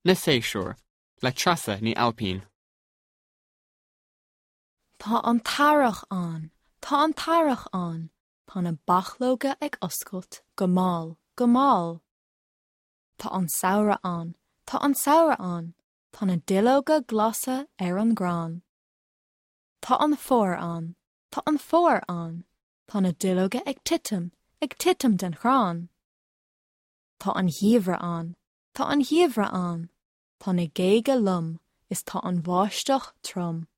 Na Séasúir, le Treasa Ní Ailpín. Tá an t-earrach ann, tá an t-earrach ann, tá na bachlóga ag oscailt go mall, go mall. Tá an samhradh ann, tá an samhradh ann, tá na duilleoga glasa ar an gcrann. Tá an fómhar ann, tá an fómhar ann, tá na duilleoga ag titim, ag titim den chrann. Tá an geimhreadh ann, tá an geimhreadh ann, tá na géaga lom is tá an bháisteach trom.